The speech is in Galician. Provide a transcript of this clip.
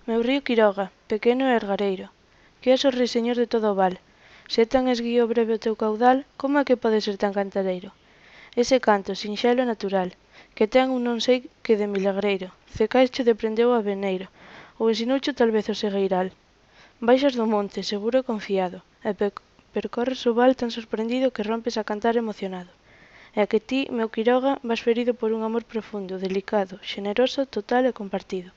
Meu río Quiroga, pequeno e ergareiro, que és o ruiseñor de todo o val, se é tan esguío breve o teu caudal, como é que pode ser tan cantareiro? Ese canto, sinxelo e natural, que ten un non sei que de milagreiro, Cecaicho de prendeu o aveneiro, ou ensinoucho tal vez o segueiral. Baixas do monte, seguro e confiado, e percorres o val tan sorprendido que rompes a cantar emocionado. E a que ti, meu Quiroga, vas ferido por un amor profundo, delicado, xeneroso, total e compartido.